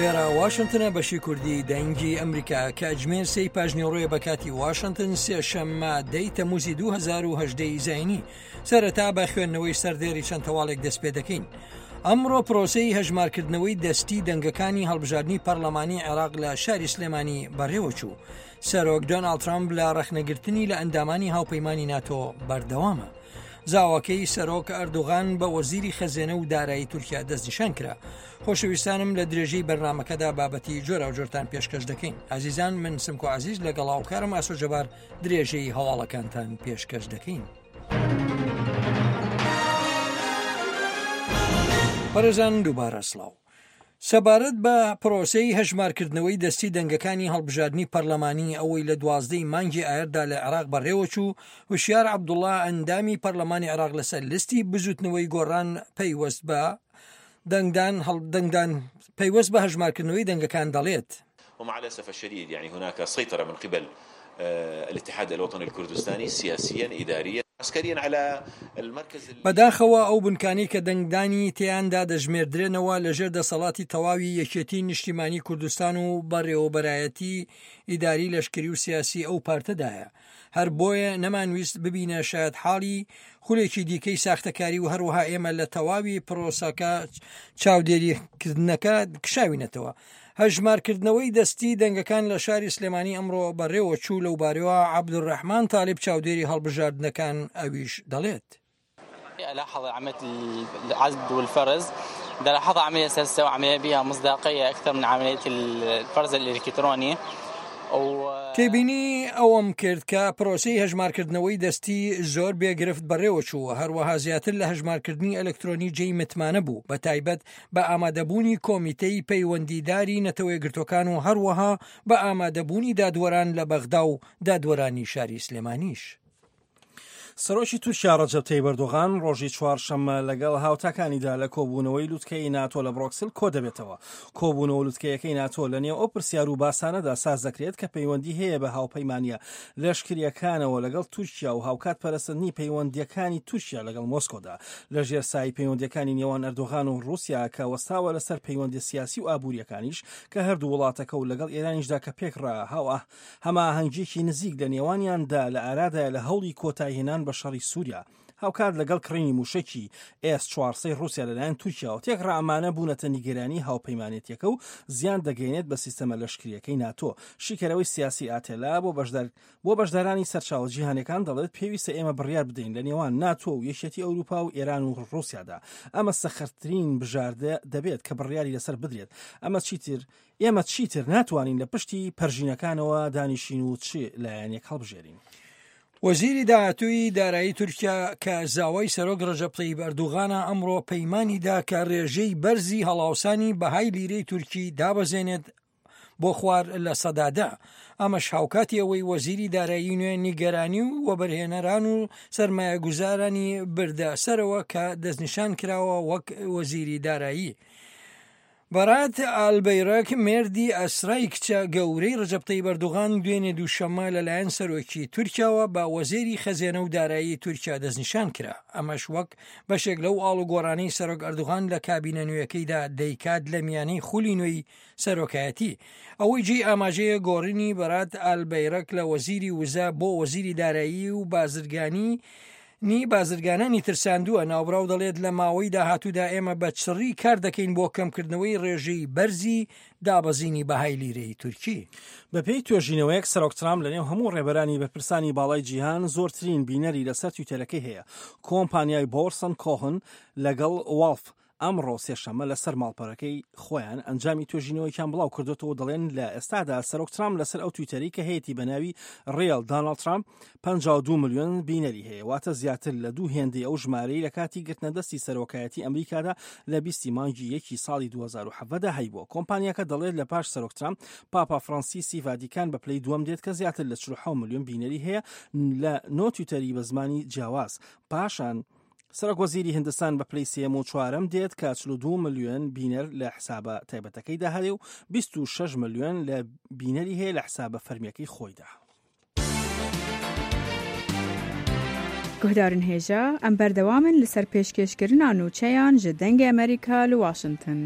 ئێرە واشنتنە بەشی کوردی دەنگی ئەمریکا کاتژمێر سێی پاژنیوەڕۆیە بە کاتی واشنتن سێشەممە دەی تەموزی 2010 زینی سەرەتا بە خوێندنەوەی سەردێری چەند هەواڵێک دەست پێ دەکەین. ئەمڕۆ پرۆسەی هەژمارکردنەوەی دەستی دەنگەکانی هەڵبژاردنی پەرلەمانی عێراق لە شاری سلێمانی بەڕێوەچوو. سەرۆک دۆناڵد ترامپ لە ڕەخنەگرتنی لە ئەندامانی هاوپەیمانی ناتۆ بەردەوامە. زاواکەی سەرۆک ئەردوغان بە وەزیری خەزێنە و دارایی تورکیا دەستنیشان کرا. خۆشەویستانم لە درێژەی بەرنمەکەدا بابەتی جۆراوجۆرتان پێشکەش دەکەین. ئازیزان من سمکۆ عزیز لەگەڵ هاوکارم ئاسۆ جەبار درێژەی هەواڵەکانتان پێشکەش دەکەین. بەڕێزان دووبارە سڵاو. سەبارەت بە پرۆسەی هەژمارکردنەوەی دەستی دەنگەکانی هەڵبژاردنی پەرلەمانی ئەوەی لە دوازدەی مانگی ئایردا لە عێراق بەڕێوەچوو، هوشیار عەبدوڵا ئەندامی پەرلەمانی عێراق لەسەر لیستی بزوتنەوەی گۆڕان پەیوەست بە دەنگدان دەنگدان پەیوەست بە هەژمارکردنەوەی دەنگەکان دەڵێت. ومع الاسف الشديد يعني هناك سيطرة من قبل الاتحاد الوطني الكردستاني سياسيا اداريا عسكريا على المركز. بەداخەوە ئەو بنکانەی کە دەنگدانی تێیاندا دەژمێردرێنەوە لەژێر دەسەڵاتی تەواوی یەکێتی نیشتیمانی کوردستان و بەڕێوەبەرایەتی ئیداری لەشکری و سیاسی ئەو پارتەدایە هەر بۆیە نەمانویست ببینە شایەتحاڵی خولێکی دیکەی ساختەکاری و هەروەها ئێمە لە تەواوی پرۆسەکە چاودێریکردنەکە کشاوینەتەوە. هەژمارکردنەوەی دەستی دەنگەکان لە شاری سلێمانی ئەمڕۆ بەڕێوەچوو، لەوبارەیەوە عەبدولرەحمان تالیب چاودێری هەڵبژاردنەکان ئەویش دەڵێت. الاحظ عملية العد والفرز دلاحظ عملية سلسة وعملية بها مصداقية أكثر من عملية الفرز الإلكتروني تێبینی ئەوەم کرد کە پرۆسەی هەژمارکردنەوەی دەستی زۆر بێ گرفت بەڕێوەچوو، هەروەها زیاتر لە هەژمارکردنی ئەلکترۆنی جێی متمانە بوو، بەتایبەت بە ئامادەبوونی کۆمیتەی پەیوەندیداری نەتەوەیەکگرتووەکان و هەروەها بە ئامادەبوونی دادوەران لە بەغدا و دادوەرانی شاری سلێمانیش. سەرۆکی تورکیا ڕەجەب تەیب ئەردۆغان ڕۆژی چوارشەممە لەگەڵ هاوتاکانیدا لە کۆبوونەوەی لوتکەی ناتۆ لە بڕۆکسل کۆدەبێتەوە. کۆبوونەوە لوتکەیەکەی ناتۆ لە نێو ئەو پرسیار و باسانەدا ساز دەکرێت کە پەیوەندی هەیە بە هاوپەیمانییە لەشکرییەکانەوە لەگەڵ تورکیا و هاوکات پەرەسەندنی پەیوەندییەکانی تورکیا لەگەڵ مۆسکۆدا لە ژێر سایەی پەیوەندییەکانی نێوان ئەردۆغان و ڕووسیا کە وەستاوە لەسەر پەیوەندیە سیاسی و ئابوورییەکانیش کە هەردوو وڵاتەکە و لەگەڵ ئێرانیشدا کە پێکڕا هاوئا هەماهەنگییەکی نزیک لە نێوانیاندا لە ئارادایە لە هەوڵی کۆتاییهێنان بە شەڕی سووریا هاوکات لەگەڵ کڕینی مووشەکی ئێس چوارسەی ڕووسیا لەلایەن تورکیاوە تێکڕا ئەمانە بوونەتە نیگەرانی هاوپەیمانێتیەکە و زیان دەگەیەنێت بە سیستەمە لەشکرییەکەی ناتۆ. شیکەرەوەی سیاسی ئاتێلا بۆ بەشدار بۆ بەشدارانی سەرچاوە جیهانیەکان دەڵێت پێویستە ئێمە بڕیار بدەین لە نێوان ناتۆ و یەکێتی ئەوروپا و ئێران و ڕووسیادا ئەمە سەخرترین بژاردە دەبێت کە بڕیاری لەسەر بدرێت ئەمە چیتر ئێمە چیتر ناتوانین لە پشتی پەرژینەکانەوە دانیشین و چ لایەنێک هەڵبژێرین. وەزیری داهاتووی دارایی تورکیا کە زاوای سەرۆک ڕەجەب تەیب ئەردوغانە ئەمڕۆ پەیمانی دا کە ڕێژەی بەرزی هەڵاوسانی بەهای لیرەی تورکی دابەزێنێت بۆ خوار 10%. ئەمەش هاوکاتی ئەوەی وەزیری دارایی نوێ نیگەرانی و وەبەرهێنەران و سەرمایەگوزارانی بردە سەرەوە کە دەستنیشان کراوە وەک وەزیری دارایی. بەرات ئالبەیرەک، مێردی ئەسرای کچە گەورەی رەجەب تەیب ئەردۆغان دوێنێ دووشەممە لەلایەن سەرۆکی تورکیاوە بە وەزێری خەزێنە و دارایی تورکیا دەستنیشان کرا، ئەمەش وەک بەشێک لەو ئاڵوگۆڕانەی سەرۆک ئەردۆغان لە کابینە نوێیەکەیدا دەیکات لە میانەی خولی نوێی سەرۆکایەتی. ئەوەی جێی ئاماژەیە گۆڕینی بەرات ئالبەیرەک لە وەزیری وزە بۆ وەزیری دارایی و بازرگانی نی بازرگانانی ترساندووە، ناوبراو دەڵێت لە ماوەی داهاتوودا ئێمە بە چڕی کار دەکەین بۆ کەمکردنەوەی ڕێژەی بەرزی دابەزینی بەهای لیرەی تورکی. بەپێی توێژینەوەیەک سەرۆک ترامپ لەنێو هەموو ڕێبەرانی بەرپرسانی باڵای جیهان زۆرترین بینەری لەسەر تویتەرەکەی هەیە. کۆمپانیای بۆرسن کۆهن لەگەڵ واڵف ئەمڕۆ سێشەممە لەسەر ماڵپەرەکەی خۆیان ئەنجامی توێژینەوەیەکیان بڵاو کردۆتەوە دەڵێن لە ئێستادا سەرۆک ترامپ لەسەر ئەو تویتەری کە هەیەی بە ناوی ڕیل داناڵد ترامپ 52 ملیۆن بینەری هەیە واتە زیاتر لە دوو هێندەی ئەو ژمارەی لە کاتی گرتنە دەستی سەرۆکایەتی ئەمریکادا لە بیستی مانگی یەکی ساڵی 2017دا هەیبووە کۆمپانیاکە دەڵێت لە پاش سەرۆک ترامپ پاپا فرانسیسی ڤاتیکان بە پلەی دووەم دێت کە زیاتر لە 46 ملیۆن بینەری هەیە لە نۆ تویتەری بە زمانی جیاواز پاشان سەرۆک وەزیری هندستان بە پلەی سێیەم و چوارەم دێت کە 42 ملیۆن بینەر لە حسابە تایبەتەکەیدا هەیە و 26 ملیۆن لە بینەری هەیە لە حسابە فەرمیەکەی خۆیدا. Guhdarên hêja, em berdewam in li ser pêşkêşkirina nûçeyan ji Dengê Amerîka li Washington.